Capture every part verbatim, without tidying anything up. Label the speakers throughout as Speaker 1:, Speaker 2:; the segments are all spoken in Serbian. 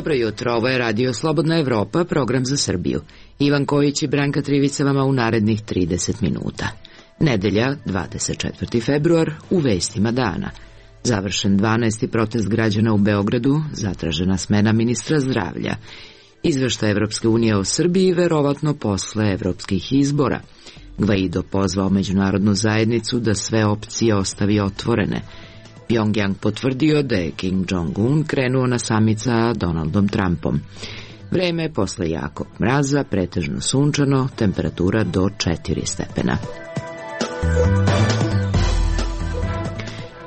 Speaker 1: Dobro jutro, ovo je Radio Slobodna Evropa, program za Srbiju. Ivan Kojić i Branka Trivica vama u narednih trideset minuta. Nedelja, dvadeset četvrti februar, u vestima dana. Završen dvanaesti protest građana u Beogradu, zatražena smena ministra zdravlja. Izveštaj Evropske unije o Srbiji verovatno posle evropskih izbora. Gvaido pozvao međunarodnu zajednicu da sve opcije ostavi otvorene. Pjongjang potvrdio da je Kim Jong-un krenuo na samit sa Donaldom Trumpom. Vreme posle jakog mraza, pretežno sunčano, temperatura do četiri stepena.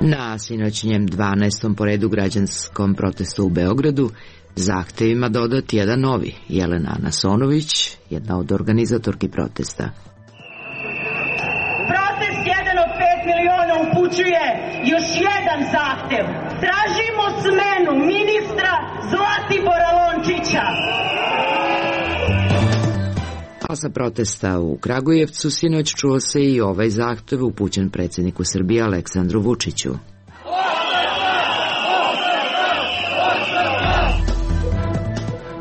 Speaker 1: Na sinoćnjem dvanaestom po redu građanskom protestu u Beogradu zahtevima dodat jedan novi. Jelena Anasonović, jedna od organizatorki protesta.
Speaker 2: Protest jedan od pet miliona upućuje još jedan zahtev. Tražimo smenu ministra Zlatibora Lončića.
Speaker 1: A sa protesta u Kragujevcu sinoć čuo se i ovaj zahtev upućen predsjedniku Srbije Aleksandru Vučiću.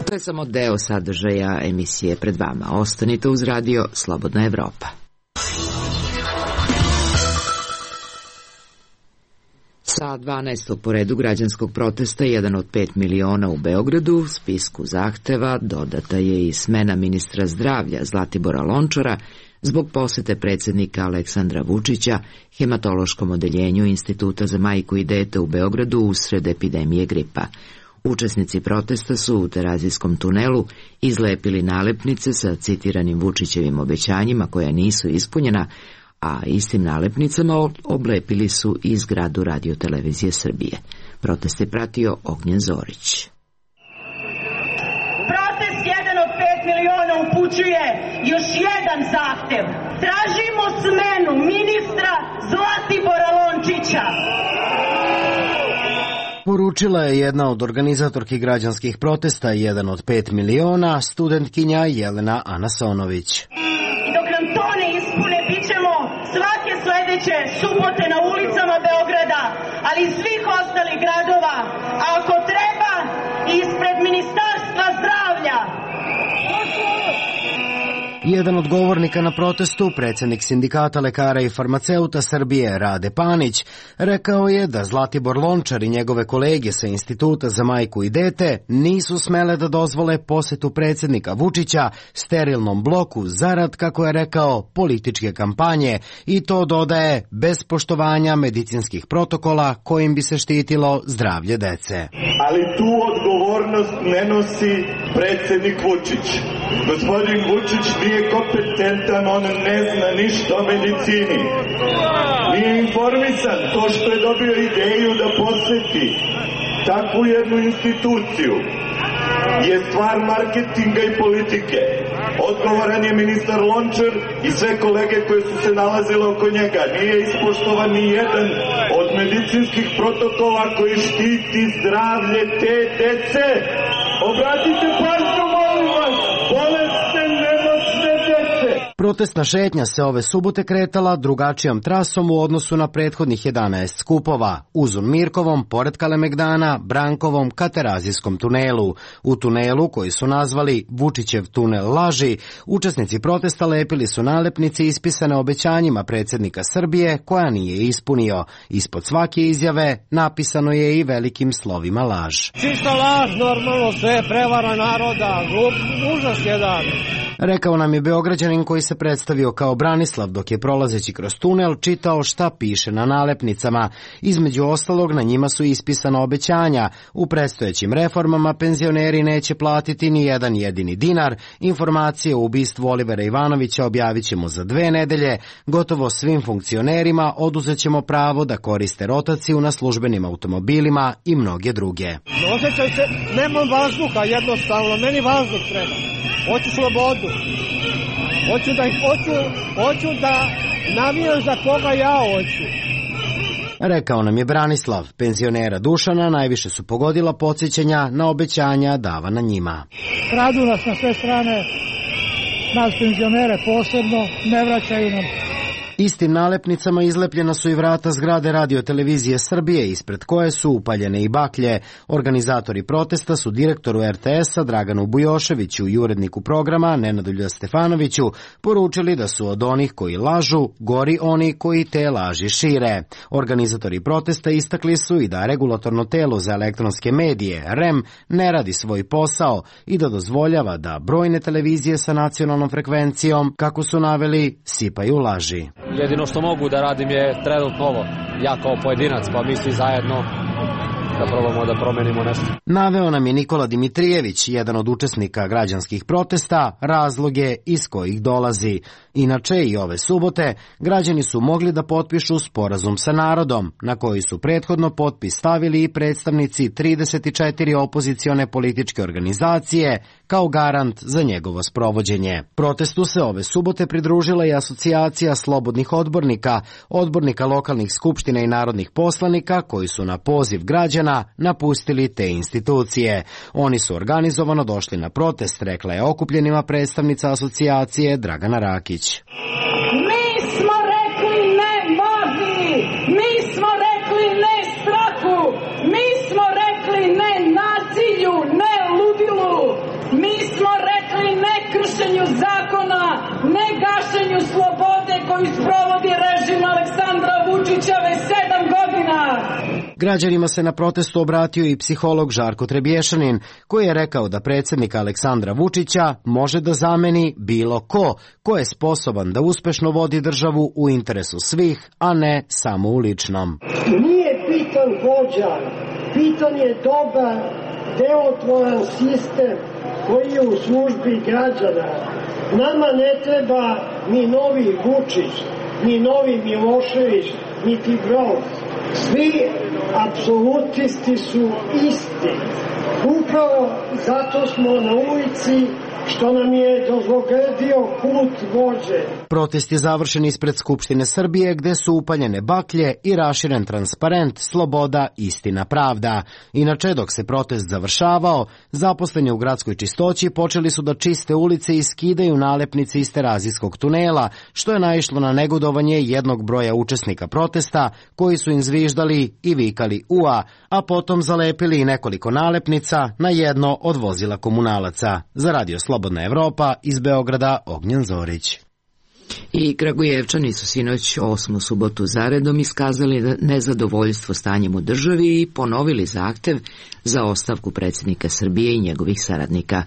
Speaker 1: To je samo deo sadržaja emisije pred vama. Ostanite uz radio Slobodna Evropa. Sa dvanaestog po redu građanskog protesta, jedan od pet miliona u Beogradu, u spisku zahteva dodata je i smena ministra zdravlja Zlatibora Lončara zbog posete predsjednika Aleksandra Vučića hematološkom odeljenju Instituta za majku i dete u Beogradu usred epidemije gripa. Učesnici protesta su u Terazijskom tunelu izlepili nalepnice sa citiranim Vučićevim obećanjima koja nisu ispunjena, a istim nalepnicama oblepili su i zgradu Radio-televizije Srbije. Protest je pratio Ognjen Zorić.
Speaker 2: Protest jedan od pet miliona upućuje još jedan zahtev. Tražimo smenu ministra Zlatibora Lončića.
Speaker 3: Poručila je jedna od organizatorki građanskih protesta, jedan od pet miliona, studentkinja Jelena Anasonović.
Speaker 2: I dok nam to ne ispune, bit ćemo svake sledeće subote na ulicama Beograda, ali i svih ostalih gradova, a ako treba i ispred Ministarstva zdravlja.
Speaker 3: Jedan od govornika na protestu, predsjednik Sindikata lekara i farmaceuta Srbije Rade Panić, rekao je da Zlatibor Lončar i njegove kolege sa Instituta za majku i dete nisu smele da dozvole posetu predsjednika Vučića sterilnom bloku zarad, kako je rekao, političke kampanje, i to dodaje bez poštovanja medicinskih protokola kojim bi se štitilo zdravlje dece.
Speaker 4: Ali tu odgovornost ne nosi predsjednik Vučić. Gospodin Vučić nije kompetentan, on ne zna ništa o medicini. Nije informisan. To što je dobio ideju da poseti takvu jednu instituciju je stvar marketinga i politike. Odgovoran je ministar Lončar i sve kolege koje su se nalazile oko njega. Nije ispoštovan ni jedan od medicinskih protokola koji štiti zdravlje te dece. Obratite pažnju, molim vas, bolesne, nemoćne dece.
Speaker 3: Protestna šetnja se ove subote kretala drugačijom trasom u odnosu na prethodnih jedanaest skupova, Uzun Mirkovom, pored Kalemegdana, Brankovom, ka Terazijskom tunelu. U tunelu, koji su nazvali Vučićev tunel laži, učesnici protesta lepili su nalepnice ispisane obećanjima predsjednika Srbije, koja nije ispunio. Ispod svake izjave napisano je i velikim slovima laž.
Speaker 5: Čista laž, normalno, sve prevara naroda, užas jedan.
Speaker 3: Rekao nam je Beograđanin koji se predstavio kao Branislav, dok je prolazeći kroz tunel čitao šta piše na nalepnicama. Između ostalog, na njima su ispisana obećanja. U predstojećim reformama penzioneri neće platiti ni jedan jedini dinar. Informacije o ubistvu Olivera Ivanovića objavit ćemo za dve nedelje. Gotovo svim funkcionerima oduzet ćemo pravo da koriste rotaciju na službenim automobilima i mnoge druge.
Speaker 5: Osjećaj se, nemam vazduha jednostavno, meni vazduh treba. Hoću slobodu. Hoću da, hoću, hoću da navijam za koga ja hoću.
Speaker 3: Rekao nam je Branislav. Penzionera Dušana najviše su pogodila podsjećanja na obećanja davana njima.
Speaker 5: Kradu nas na sve strane, nas penzionere posebno, ne vraćaju nam.
Speaker 3: Istim nalepnicama izlepljena su i vrata zgrade Radio televizije Srbije, ispred koje su upaljene i baklje. Organizatori protesta su direktoru er te esa Draganu Bujoševiću i uredniku programa Nenadu Stefanoviću poručili da su od onih koji lažu gori oni koji te laži šire. Organizatori protesta istakli su i da regulatorno telo za elektronske medije, er e em, ne radi svoj posao i da dozvoljava da brojne televizije sa nacionalnom frekvencijom, kako su naveli, sipaju laži.
Speaker 6: Jedino što mogu da radim je trenutno ovo, ja kao pojedinac, pa mi svi zajedno da probamo da promenimo nešto.
Speaker 3: Naveo nam je Nikola Dimitrijević, jedan od učesnika građanskih protesta, razloge iz kojih dolazi. Inače, i ove subote, građani su mogli da potpišu sporazum sa narodom, na koji su prethodno potpis stavili i predstavnici trideset četiri opozicione političke organizacije, kao garant za njegovo sprovođenje. Protestu se ove subote pridružila i asocijacija slobodnih odbornika, odbornika lokalnih skupština i narodnih poslanika, koji su na poziv građana napustili te institucije. Oni su organizovano došli na protest, rekla je okupljenima predstavnica asocijacije Dragana Rakić.
Speaker 2: Mi smo rekli ne magiji, mi smo rekli ne strahu, mi smo rekli ne nasilju, ne ludilu, mi smo rekli ne kršenju zakona, ne gašenju slobode koju sprovodi režim Aleksandra Vučića već sedam godina.
Speaker 3: Građanima se na protestu obratio i psiholog Žarko Trebješanin, koji je rekao da predsjednika Aleksandra Vučića može da zameni bilo ko, ko je sposoban da uspešno vodi državu u interesu svih, a ne samo u ličnom.
Speaker 7: Nije bitan vođa, bitan je dobar, delotvoran sistem koji je u službi građana. Nama ne treba ni novi Vučić, ni novi Milošević, niti Broz. Svi apsolutisti su isti. Upravo zato smo na ulici, što nam je dozlogradio put vođe.
Speaker 3: Protest je završen ispred Skupštine Srbije, gde su upaljene baklje i raširen transparent Sloboda, istina, pravda. Inače, dok se protest završavao, zaposleni u gradskoj čistoći počeli su da čiste ulice i skidaju nalepnice iz Terazijskog tunela, što je naišlo na negodovanje jednog broja učesnika protesta, koji su im zviždali i vikali ua, a potom zalepili i nekoliko nalepnica na jedno od vozila komunalaca. Za Radio Slobodna Evropa, iz Beograda, Ognjen Zorić.
Speaker 1: I Kragujevčani su sinoć osmu subotu zaredom iskazali nezadovoljstvo stanjem u državi i ponovili zahtev za ostavku predsjednika Srbije i njegovih saradnika.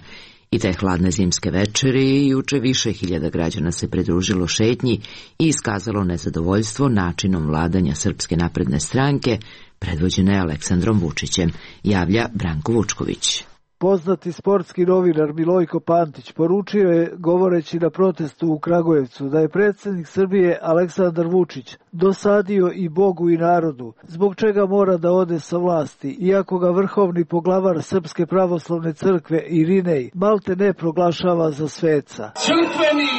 Speaker 1: I te hladne zimske večeri juče više hiljada građana se pridružilo šetnji i iskazalo nezadovoljstvo načinom vladanja Srpske napredne stranke, predvođene Aleksandrom Vučićem, javlja Branko Vučković.
Speaker 8: Poznati sportski novinar Milojko Pantić poručio je, govoreći na protestu u Kragujevcu, da je predsjednik Srbije Aleksandar Vučić dosadio i Bogu i narodu, zbog čega mora da ode sa vlasti, iako ga vrhovni poglavar Srpske pravoslavne crkve Irinej malte ne proglašava za sveca.
Speaker 9: Crkveni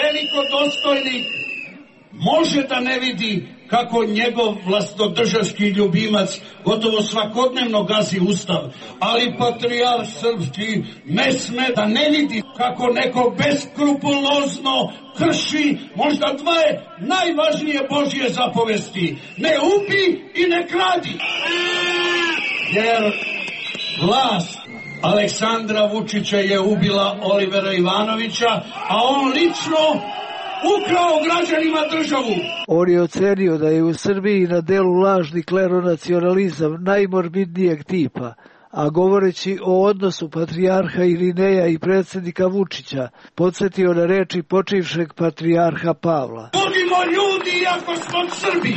Speaker 9: velikodostojnik može da ne vidi kako njegov vlastodržavski ljubimac gotovo svakodnevno gazi ustav, ali patrijarh srpski ne sme da ne vidi kako neko beskrupulozno krši možda dve najvažnije Božje zapovesti: ne ubi i ne kradi. Jer vlast Aleksandra Vučića je ubila Olivera Ivanovića, a on lično ukrao građanima državu.
Speaker 8: On je ocenio da je u Srbiji na delu lažni kleronacionalizam najmorbidnijeg tipa, a govoreći o odnosu patrijarha Irineja i predsjednika Vučića, podsjetio na reči počivšeg patrijarha Pavla.
Speaker 9: Budimo ljudi iako smo Srbi.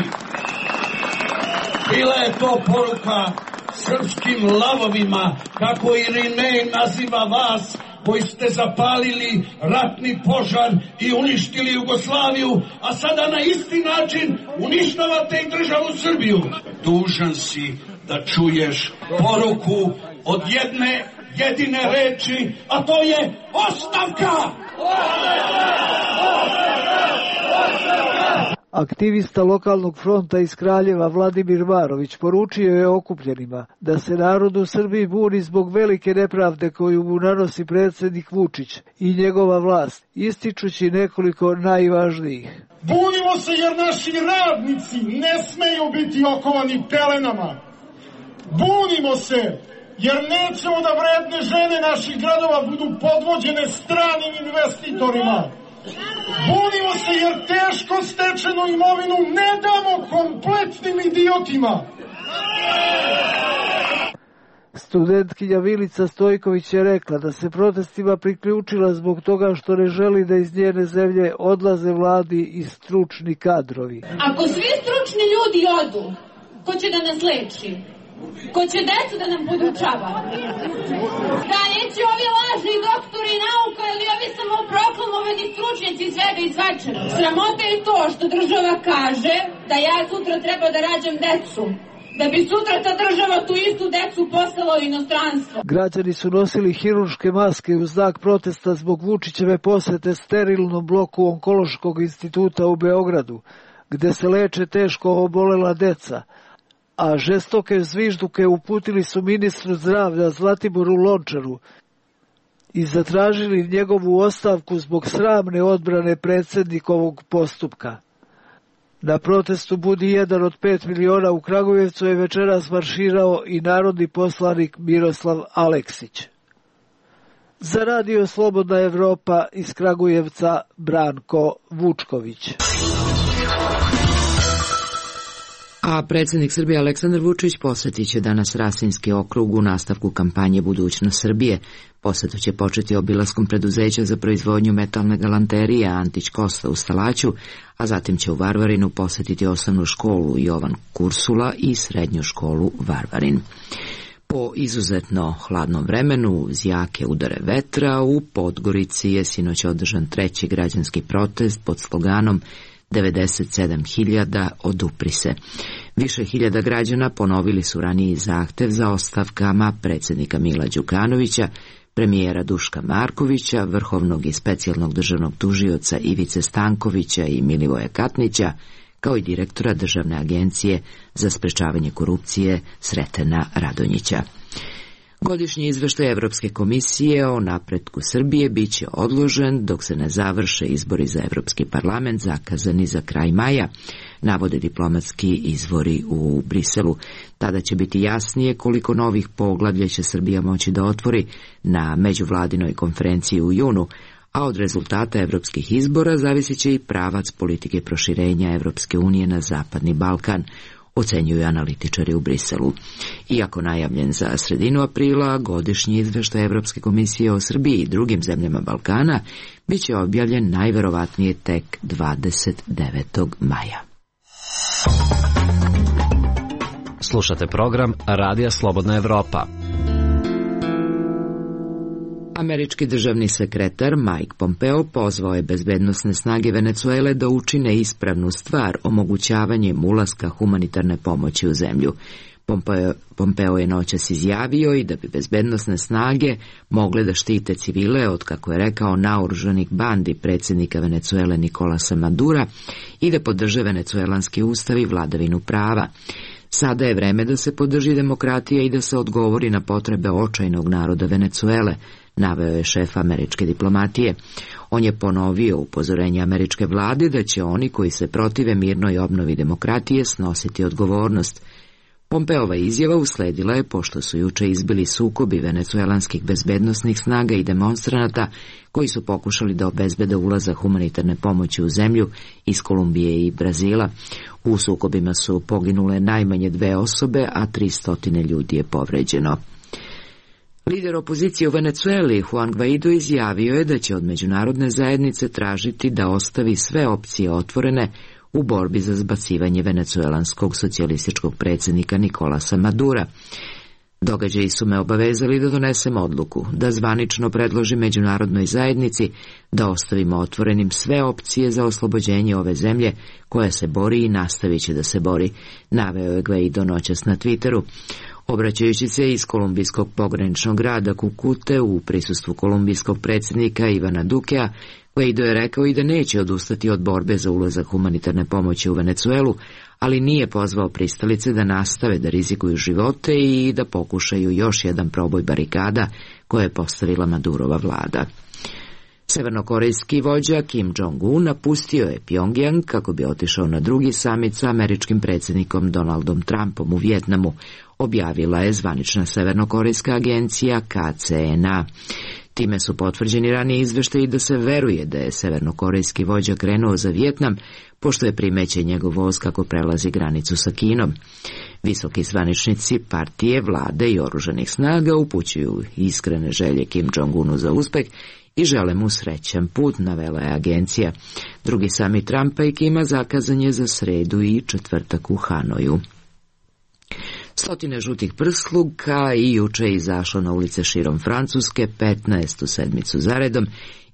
Speaker 9: Bila je to poruka srpskim lavovima, kako Irinej naziva vas, koji ste zapalili ratni požar i uništili Jugoslaviju, a sada na isti način uništavate i državu Srbiju. Dužan si da čuješ poruku od jedne jedine reči, a to je ostavka!
Speaker 8: Aktivista lokalnog fronta iz Kraljeva Vladimir Marović poručio je okupljenima da se narod u Srbiji buni zbog velike nepravde koju mu nanosi predsjednik Vučić i njegova vlast, ističući nekoliko najvažnijih.
Speaker 10: Bunimo se jer naši radnici ne smeju biti okovani pelenama. Bunimo se jer nećemo da vredne žene naših gradova budu podvođene stranim investitorima. Bunimo se jer teško stečenu imovinu ne damo kompletnim idiotima.
Speaker 8: Studentkinja Milica Stojković je rekla da se protestima priključila zbog toga što ne želi da iz njene zemlje odlaze mladi i stručni kadrovi.
Speaker 11: Ako svi stručni ljudi odu, ko će da nas leči? Ko će decu da nam podučava? Da neće ovi lažni doktori nauka ili ovi samoproklamovani stručnjaci svega i svačega. Sramota je to što država kaže da ja sutra treba da rađam decu. Da bi sutra ta država tu istu decu poslala u inostranstvo.
Speaker 8: Građani su nosili hirurške maske u znak protesta zbog Vučićeve posete sterilnom bloku Onkološkog instituta u Beogradu, gde se leče teško obolela deca, a žestoke zvižduke uputili su ministru zdravlja Zlatiboru Lončaru i zatražili njegovu ostavku zbog sramne odbrane predsjednikovog postupka. Na protestu Budi jedan od pet miliona u Kragujevcu je večeras marširao i narodni poslanik Miroslav Aleksić. Za Radio Slobodna Evropa iz Kragujevca Branko Vučković.
Speaker 1: A predsjednik Srbije Aleksandar Vučić posjetit će danas Rasinski okrug u nastavku kampanje Budućnost Srbije. Posjetu će početi obilaskom preduzeća za proizvodnju metalne galanterije Antić Kosta u Stalaću, a zatim će u Varvarinu posjetiti osnovnu školu Jovan Kursula i srednju školu Varvarin. Po izuzetno hladnom vremenu, uz jake udare vetra, u Podgorici je sinoć održan treći građanski protest pod sloganom devedeset sedam hiljada odupri se. Više hiljada građana ponovili su raniji zahtev za ostavkama predsjednika Mila Đukanovića, premijera Duška Markovića, vrhovnog i specijalnog državnog tužioca Ivice Stankovića i Milivoja Katnića, kao i direktora Državne agencije za sprečavanje korupcije Sretena Radonjića. Godišnji izveštaj Evropske komisije o napretku Srbije bit će odložen dok se ne završe izbori za Evropski parlament zakazani za kraj maja, navode diplomatski izvori u Briselu. Tada će biti jasnije koliko novih poglavlja će Srbija moći da otvori na međuvladinoj konferenciji u junu, a od rezultata evropskih izbora zavisit će i pravac politike proširenja Evropske unije na Zapadni Balkan, ocenjuju analitičari u Briselu. Iako najavljen za sredinu aprila, godišnji izveštaj Evropske komisije o Srbiji i drugim zemljama Balkana bit će objavljen najverovatnije tek dvadeset devetog maja.
Speaker 12: Slušate program Radija Slobodna Evropa.
Speaker 1: Američki državni sekretar Mike Pompeo pozvao je bezbednosne snage Venecuele da učine ispravnu stvar omogućavanjem ulaska humanitarne pomoći u zemlju. Pompeo, Pompeo je noćas izjavio i da bi bezbednosne snage mogle da štite civile od, kako je rekao, naoružanih bandi predsjednika Venecuele Nikolasa Madura i da podrže venecuelanski ustav i vladavinu prava. Sada je vreme da se podrži demokratija i da se odgovori na potrebe očajnog naroda Venecuele, naveo je šef američke diplomatije. On je ponovio upozorenje američke vlade da će oni koji se protive mirnoj obnovi demokratije snositi odgovornost. Pompeova izjava usledila je pošto su juče izbili sukobi venecuelanskih bezbednosnih snaga i demonstranata koji su pokušali da obezbede ulazak humanitarne pomoći u zemlju iz Kolumbije i Brazila. U sukobima su poginule najmanje dve osobe, a tristotine ljudi je povređeno. Lider opozicije u Venecueli, Juan Guaido, izjavio je da će od međunarodne zajednice tražiti da ostavi sve opcije otvorene u borbi za zbacivanje venecuelanskog socijalističkog predsjednika Nikolasa Madura. Događaji su me obavezali da donesem odluku, da zvanično predložim međunarodnoj zajednici da ostavimo otvorenim sve opcije za oslobođenje ove zemlje koja se bori i nastavit će da se bori, naveo je Guaido noćas na Twitteru. Obraćajući se iz kolumbijskog pograničnog grada Kukute u prisustvu kolumbijskog predsjednika Ivana Dukea, Guaido je rekao i da neće odustati od borbe za ulazak humanitarne pomoći u Venecuelu, ali nije pozvao pristalice da nastave da rizikuju živote i da pokušaju još jedan proboj barikada koje je postavila Madurova vlada. Severnokorejski vođa Kim Jong-un napustio je Pjongjang kako bi otišao na drugi samit sa američkim predsjednikom Donaldom Trumpom u Vijetnamu, objavila je zvanična severnokorejska agencija K C N A. Time su potvrđeni ranije izveštaji da se veruje da je severnokorejski vođa krenuo za Vijetnam, pošto je primećen njegov voz kako prelazi granicu sa Kinom. Visoki zvaničnici partije, vlade i oružanih snaga upućuju iskrene želje Kim Jong-unu za uspeh i žele mu srećan put, navela je agencija. Drugi samit Trumpa i Kima zakazan je za sredu i četvrtak u Hanoju. Stotine žutih prsluka i juče je izašlo na ulice širom Francuske petnaestu sedmicu zaredom,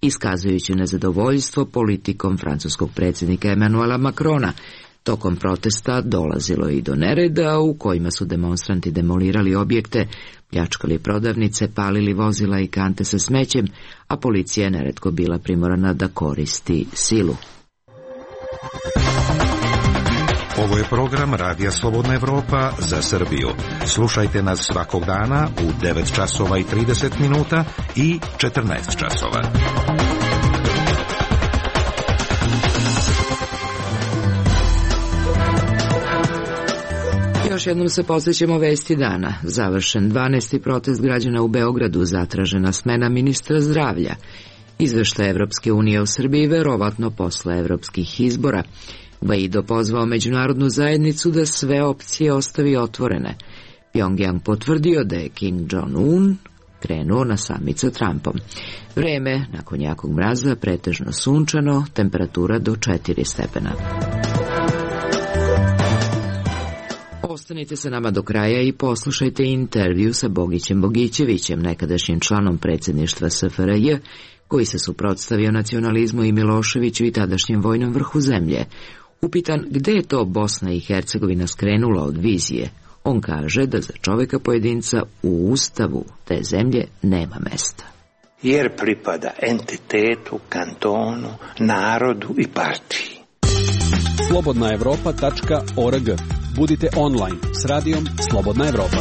Speaker 1: iskazujući nezadovoljstvo politikom francuskog predsjednika Emmanuela Macrona. Tokom protesta dolazilo i do nereda u kojima su demonstranti demolirali objekte, pljačkali prodavnice, palili vozila i kante sa smećem, a policija je neretko bila primorana da koristi silu.
Speaker 13: Ovo je program Radija Slobodna Evropa za Srbiju. Slušajte nas svakog dana u devet časova i trideset minuta i četrnaest časova.
Speaker 1: Još jednom se podsjećamo vesti dana. Završen dvanaesti protest građana u Beogradu, zatražena smena ministra zdravlja. Izveštaj Evropske unije u Srbiji verovatno posle evropskih izbora. Guaido pozvao međunarodnu zajednicu da sve opcije ostavi otvorene. Pjongjang potvrdio da je Kim Jong-un krenuo na samit sa Trumpom. Vreme, nakon jakog mraza, pretežno sunčano, temperatura do četiri stepena. Ostanite sa nama do kraja i poslušajte intervju sa Bogićem Bogićevićem, nekadašnjim članom predsjedništva S F R J, koji se suprotstavio nacionalizmu i Miloševiću i tadašnjem vojnom vrhu zemlje. Upitan gde je to Bosna i Hercegovina skrenula od vizije, on kaže da za čoveka pojedinca u ustavu te zemlje nema mesta.
Speaker 14: Jer pripada entitetu, kantonu, narodu i partiji.
Speaker 15: slobodna evropa tačka org. Budite online s radijom Slobodna Evropa.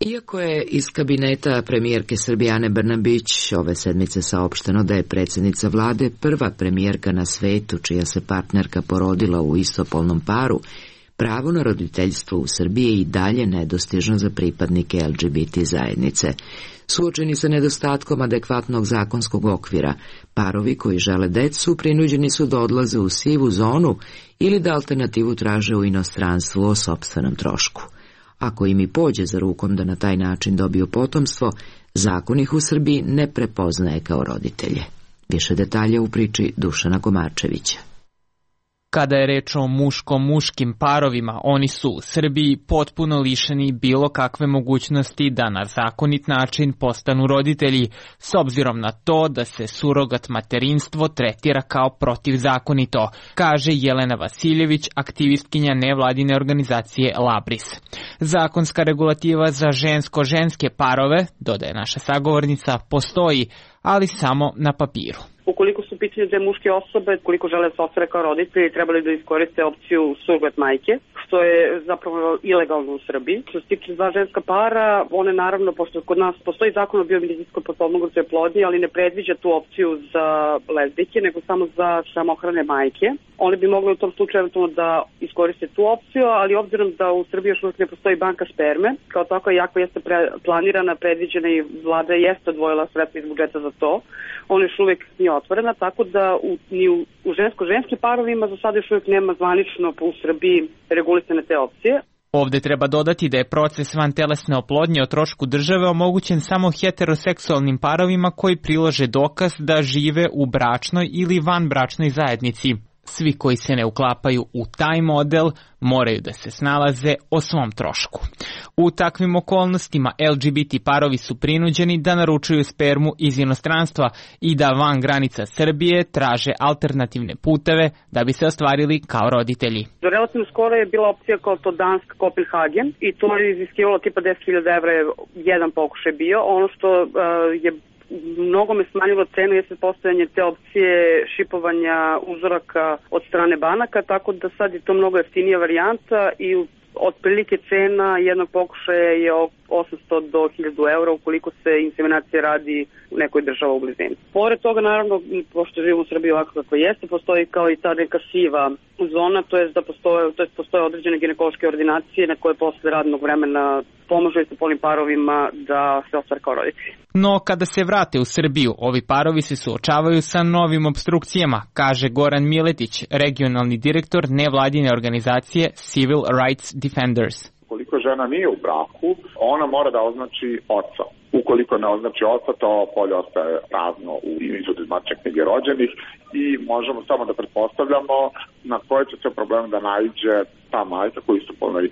Speaker 1: Iako je iz kabineta premijerke Srbije Ane Brnabić ove sedmice saopšteno da je predsjednica vlade prva premijerka na svetu čija se partnerka porodila u istopolnom paru, pravo na roditeljstvo u Srbiji je i dalje nedostižno za pripadnike L G B T zajednice. Suočeni sa nedostatkom adekvatnog zakonskog okvira, parovi koji žele decu prinuđeni su da odlaze u sivu zonu ili da alternativu traže u inostranstvu o sopstvenom trošku. Ako im i pođe za rukom da na taj način dobiju potomstvo, zakon ih u Srbiji ne prepoznaje kao roditelje. Više detalja u priči Dušana Komarčevića.
Speaker 16: Kada je reč o muško-muškim parovima, oni su u Srbiji potpuno lišeni bilo kakve mogućnosti da na zakonit način postanu roditelji, s obzirom na to da se surogat materinstvo tretira kao protivzakonito, kaže Jelena Vasiljević, aktivistkinja nevladine organizacije Labris. Zakonska regulativa za žensko-ženske parove, dodaje naša sagovornica, postoji, ali samo na papiru.
Speaker 17: Ukoliko su pitanje dve muške osobe, koliko žele da se ostvare kao roditelji, trebali da iskoriste opciju surogat majke, što je zapravo ilegalno u Srbiji. Što se tiče dva ženska para, one naravno, pošto kod nas postoji zakon o biomedicinskoj potpomognutoj oplodnji, ali ne predviđa tu opciju za lezbijke, nego samo za samohrane majke. One bi mogle u tom slučaju eventualno da iskoriste tu opciju, ali obzirom da u Srbiji još uvijek ne postoji banka sperme, kao tako jako jeste pre, planirana, predviđena i vlada jeste odvojila sredstva iz budžeta za to, ona još uvijek nije otvorena, tako da u, ni u, u žensko-ženskim parovima za sada još uvijek nema zvanično u Srbiji regulisane te opcije.
Speaker 16: Ovde treba dodati da je proces vantelesne oplodnje o trošku države omogućen samo heteroseksualnim parovima koji prilože dokaz da žive u bračnoj ili vanbračnoj zajednici. Svi koji se ne uklapaju u taj model moraju da se snalaze o svom trošku. U takvim okolnostima L G B T parovi su prinuđeni da naručuju spermu iz inostranstva i da van granica Srbije traže alternativne puteve da bi se ostvarili kao roditelji.
Speaker 17: Relativno skoro je bila opcija kao to Dansk Kopenhagen i to je iziskivalo tipa deset hiljada evra je jedan pokušaj bio. Ono što uh, je mnogo me smanjilo cenu jeste postojanje te opcije šipovanja uzoraka od strane banaka, tako da sad je to mnogo jeftinija varijanta i otprilike cena jednog pokušaja je osamsto do hiljadu eura ukoliko se inseminacija radi u nekoj država u blizini. Pored toga, naravno, pošto živimo u Srbiji ovako kako jeste, postoji kao i ta neka siva zona, to je da postoje, to jest postoje određene ginekološke ordinacije na koje posle radnog vremena pomažu istopolnim parovima da se ostvare kao roditelji.
Speaker 16: No, kada se vrate u Srbiju, ovi parovi se suočavaju sa novim obstrukcijama, kaže Goran Miletić, regionalni direktor nevladine organizacije Civil Rights Defenders.
Speaker 18: Ukoliko žena nije u braku, ona mora da označi oca. Ukoliko ne označi oca, to polje ostaje prazno u izvodu iz matične knjige rođenih i možemo samo da pretpostavljamo na koje će se problem da naiđe ta majka koji su polnoj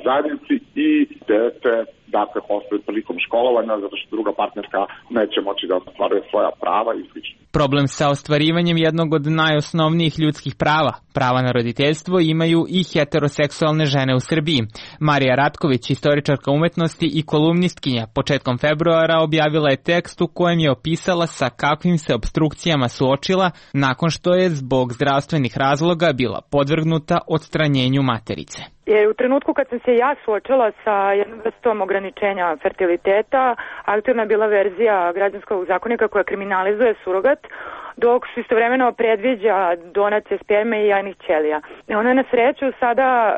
Speaker 18: zajednici i dete, dakle, postoje prilikom školovanja, zato što druga partnerka neće moći da ostvaruje svoja prava i slično.
Speaker 16: Problem sa ostvarivanjem jednog od najosnovnijih ljudskih prava, prava na roditeljstvo, imaju i heteroseksualne žene u Srbiji. Marija Ratković, istoričarka umetnosti i kolumnistkinja, početkom februara objavila je tekst u kojem je opisala sa kakvim se obstrukcijama suočila nakon što je zbog zdravstvenih razloga bila podvrgnuta odstranjenju materice.
Speaker 19: Je u trenutku kad sam se ja suočila sa jednom vrstom ograničenja fertiliteta, aktualna je bila verzija građanskog zakonika koja kriminalizuje surogat, dok se istovremeno predviđa donacije sperme i jajnih ćelija. Ona je na sreću sada e,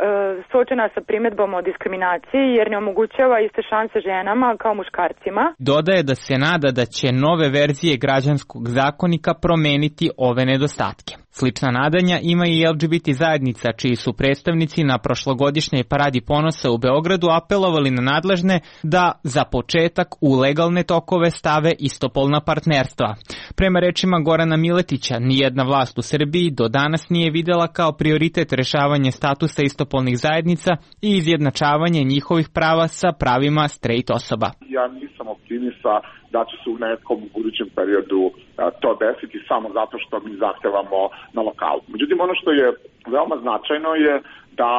Speaker 19: suočena sa primedbom o diskriminaciji jer ne omogućava iste šanse ženama kao muškarcima.
Speaker 16: Dodaje da se nada da će nove verzije građanskog zakonika promeniti ove nedostatke. Slična nadanja ima i L G B T zajednica, čiji su predstavnici na prošlogodišnjoj paradi ponosa u Beogradu apelovali na nadležne da za početak u legalne tokove stave istopolna partnerstva. Prema rečima Gorana Miletića, nijedna vlast u Srbiji do danas nije videla kao prioritet rešavanje statusa istopolnih zajednica i izjednačavanje njihovih prava sa pravima straight osoba.
Speaker 18: Ja nisam optimista da će se u nekom budućem periodu to desiti samo zato što mi zahtevamo na lokalu. Međutim, ono što je veoma značajno je da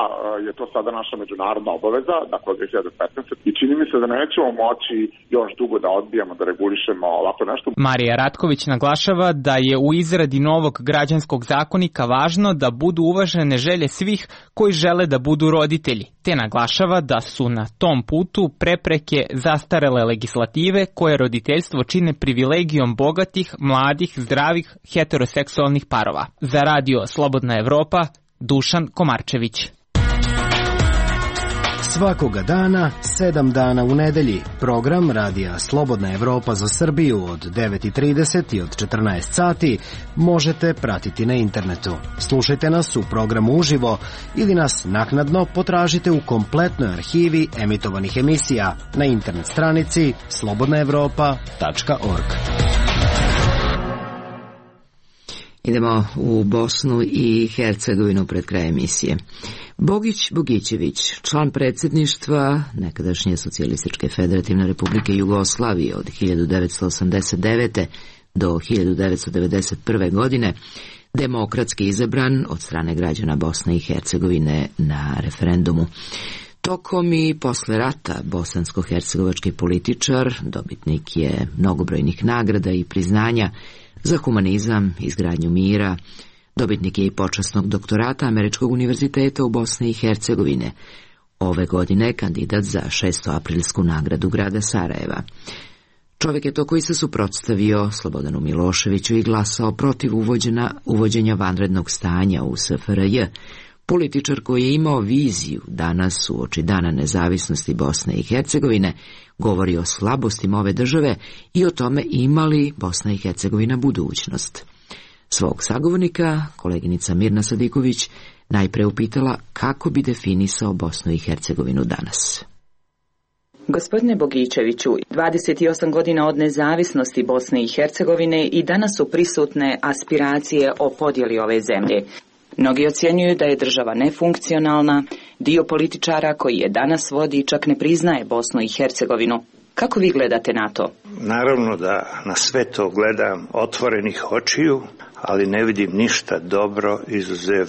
Speaker 18: je to sada naša međunarodna obaveza, dakle od dve hiljade petnaeste. I čini mi se da nećemo moći još dugo da odbijamo, da regulišemo ovako nešto.
Speaker 16: Marija Ratković naglašava da je u izradi novog građanskog zakonika važno da budu uvažene želje svih koji žele da budu roditelji, te naglašava da su na tom putu prepreke zastarele legislative koje roditeljstvo čine privilegijom bogatih, mladih, zdravih, heteroseksualnih parova. Za radio Slobodna Evropa, Dušan Komarčević.
Speaker 3: Svakoga dana, sedam dana u nedelji, program radija Slobodna Evropa za Srbiju od devet i trideset i od četrnaest sati možete pratiti na internetu. Slušajte nas u programu uživo ili nas naknadno potražite u kompletnoj arhivi emitovanih emisija na internet stranici slobodna evropa tačka org.
Speaker 1: Idemo u Bosnu i Hercegovinu pred kraj emisije. Bogić Bogićević, član predsjedništva nekadašnje Socijalističke federativne republike Jugoslavije od hiljadu devetsto osamdeset devete. do hiljadu devetsto devedeset prve. godine, demokratski izabran od strane građana Bosne i Hercegovine na referendumu. Tokom i posle rata bosansko-hercegovački političar, dobitnik je mnogobrojnih nagrada i priznanja za humanizam, izgradnju mira, dobitnik je i počasnog doktorata Američkog univerziteta u Bosni i Hercegovine. Ove godine kandidat za šestoaprilsku nagradu grada Sarajeva. Čovjek je to koji se suprotstavio Slobodanu Miloševiću i glasao protiv uvođenja, uvođenja vanrednog stanja u S F R J. Političar koji je imao viziju danas uoči dana nezavisnosti Bosne i Hercegovine govori o slabostima ove države i o tome ima li Bosna i Hercegovina budućnost. Svog sagovornika, koleginica Mirna Sadiković, najpre upitala kako bi definisao Bosnu i Hercegovinu danas.
Speaker 20: Gospodine Bogićeviću, dvadeset osam godina od nezavisnosti Bosne i Hercegovine i danas su prisutne aspiracije o podjeli ove zemlje. Mnogi ocjenjuju da je država nefunkcionalna, dio političara koji je danas vodi čak ne priznaje Bosnu i Hercegovinu. Kako vi gledate na to?
Speaker 14: Naravno da na sve to gledam otvorenih očiju, ali ne vidim ništa dobro izuzev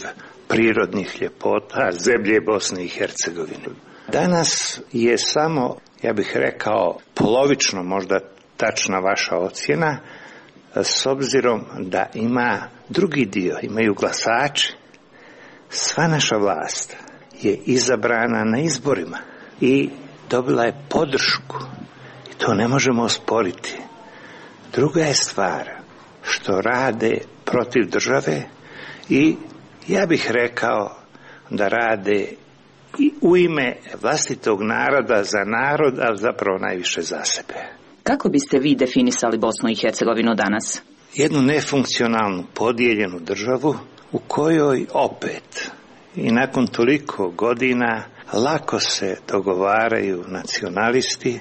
Speaker 14: prirodnih ljepota zemlje Bosne i Hercegovine. Danas je samo, ja bih rekao, polovično možda tačna vaša ocjena, s obzirom da ima drugi dio, imaju glasači. Sva naša vlast je izabrana na izborima i dobila je podršku i to ne možemo osporiti. Druga je stvar što rade protiv države i ja bih rekao da rade i u ime vlastitog naroda za narod, ali zapravo najviše za sebe.
Speaker 20: Kako biste vi definisali Bosnu i Hercegovinu danas?
Speaker 14: Jednu nefunkcionalnu, podijeljenu državu u kojoj opet i nakon toliko godina lako se dogovaraju nacionalisti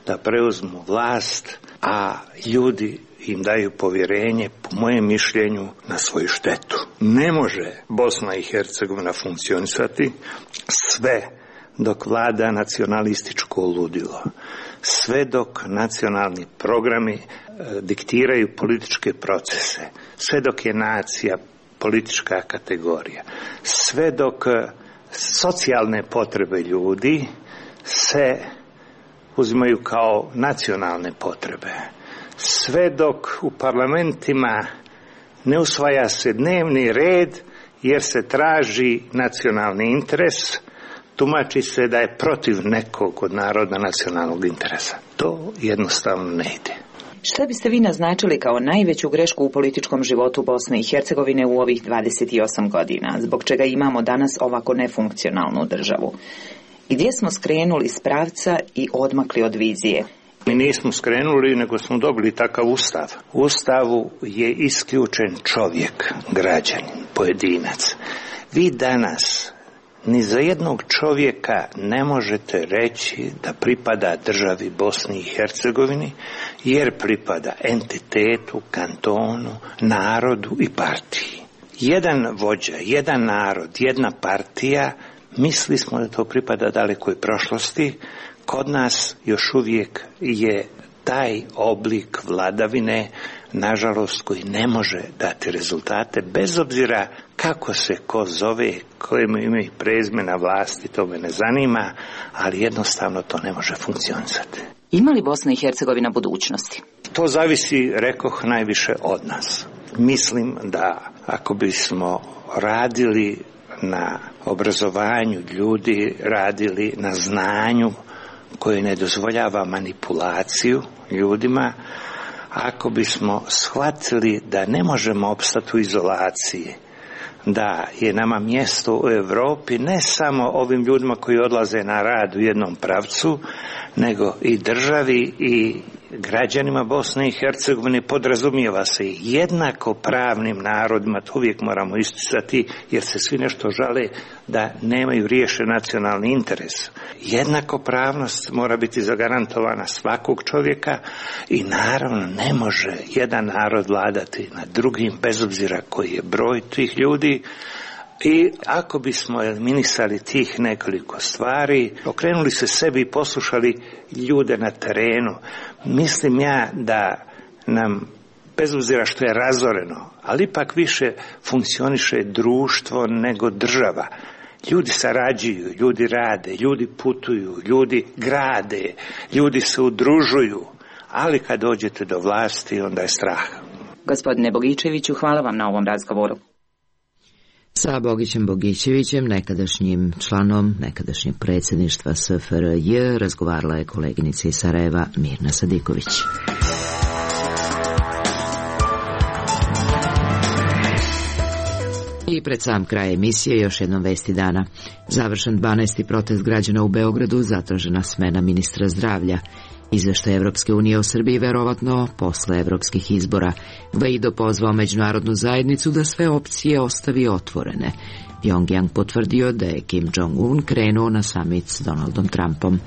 Speaker 14: da preuzmu vlast, a ljudi im daju povjerenje, po mojem mišljenju, na svoju štetu. Ne može Bosna i Hercegovina funkcionisati sve dok vlada nacionalističko ludilo, sve dok nacionalni programi e, diktiraju političke procese, sve dok je nacija politička kategorija, sve dok socijalne potrebe ljudi se uzimaju kao nacionalne potrebe, sve dok u parlamentima ne usvaja se dnevni red jer se traži nacionalni interes, tumači se da je protiv nekog od naroda nacionalnog interesa. To jednostavno ne ide.
Speaker 20: Šta biste vi naznačili kao najveću grešku u političkom životu Bosne i Hercegovine u ovih dvadeset osam godina, zbog čega imamo danas ovako nefunkcionalnu državu? Gdje smo skrenuli s pravca i odmakli od vizije?
Speaker 14: Mi nismo skrenuli, nego smo dobili takav ustav. U ustavu je isključen čovjek, građanin, pojedinac. Vi danas ni za jednog čovjeka ne možete reći da pripada državi Bosni i Hercegovini, jer pripada entitetu, kantonu, narodu i partiji. Jedan vođa, jedan narod, jedna partija, mislili smo da to pripada dalekoj prošlosti. Kod nas još uvijek je taj oblik vladavine, nažalost, koji ne može dati rezultate, bez obzira kako se ko zove, koje ima i prezimena vlasti, to me ne zanima, ali jednostavno to ne može funkcionisati.
Speaker 20: Ima li Bosna i Hercegovina budućnosti?
Speaker 14: To zavisi, rekoh, najviše od nas. Mislim da ako bismo radili na obrazovanju ljudi, radili na znanju koje ne dozvoljava manipulaciju ljudima, ako bismo shvatili da ne možemo opstati u izolaciji, da je nama mjesto u Europi ne samo ovim ljudima koji odlaze na rad u jednom pravcu, nego i državi i građanima Bosne i Hercegovine, podrazumijeva se i jednako pravnim narodima, to uvijek moramo isticati, jer se svi nešto žale da nemaju riješen nacionalni interes. Jednakopravnost mora biti zagarantovana svakog čovjeka i naravno ne može jedan narod vladati nad drugim, bez obzira koji je broj tih ljudi. I ako bismo eliminisali tih nekoliko stvari, okrenuli se sebi i poslušali ljude na terenu, mislim ja da nam, bez obzira što je razoreno, ali ipak više funkcioniše društvo nego država. Ljudi sarađuju, ljudi rade, ljudi putuju, ljudi grade, ljudi se udružuju, ali kad dođete do vlasti, onda je strah.
Speaker 20: Gospodine Bogičeviću, hvala vam na ovom razgovoru.
Speaker 1: Sa Bogićem Bogićevićem, nekadašnjim članom nekadašnjeg predsjedništva S F R J, razgovarala je koleginica iz Sarajeva Mirna Sadiković. I pred sam kraj emisije još jednom vesti dana. Završen dvanaesti protest građana u Beogradu, zatražena smena ministra zdravlja. Izveštaj Evropske unije o Srbiji verovatno posle evropskih izbora. Guaido pozvao međunarodnu zajednicu da sve opcije ostavi otvorene. Pyongyang potvrdio da je Kim Jong-un krenuo na samit s Donaldom Trumpom.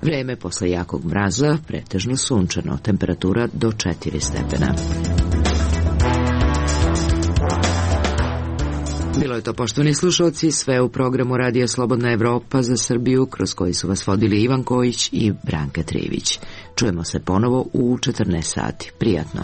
Speaker 1: Vreme posle jakog mraza, pretežno sunčano, temperatura do četiri stepena. Bilo je to, poštovani slušalci, sve u programu Radija Slobodna Evropa za Srbiju, kroz koji su vas vodili Ivan Kojić i Branka Trivić. Čujemo se ponovo u četrnaest sati. Prijatno.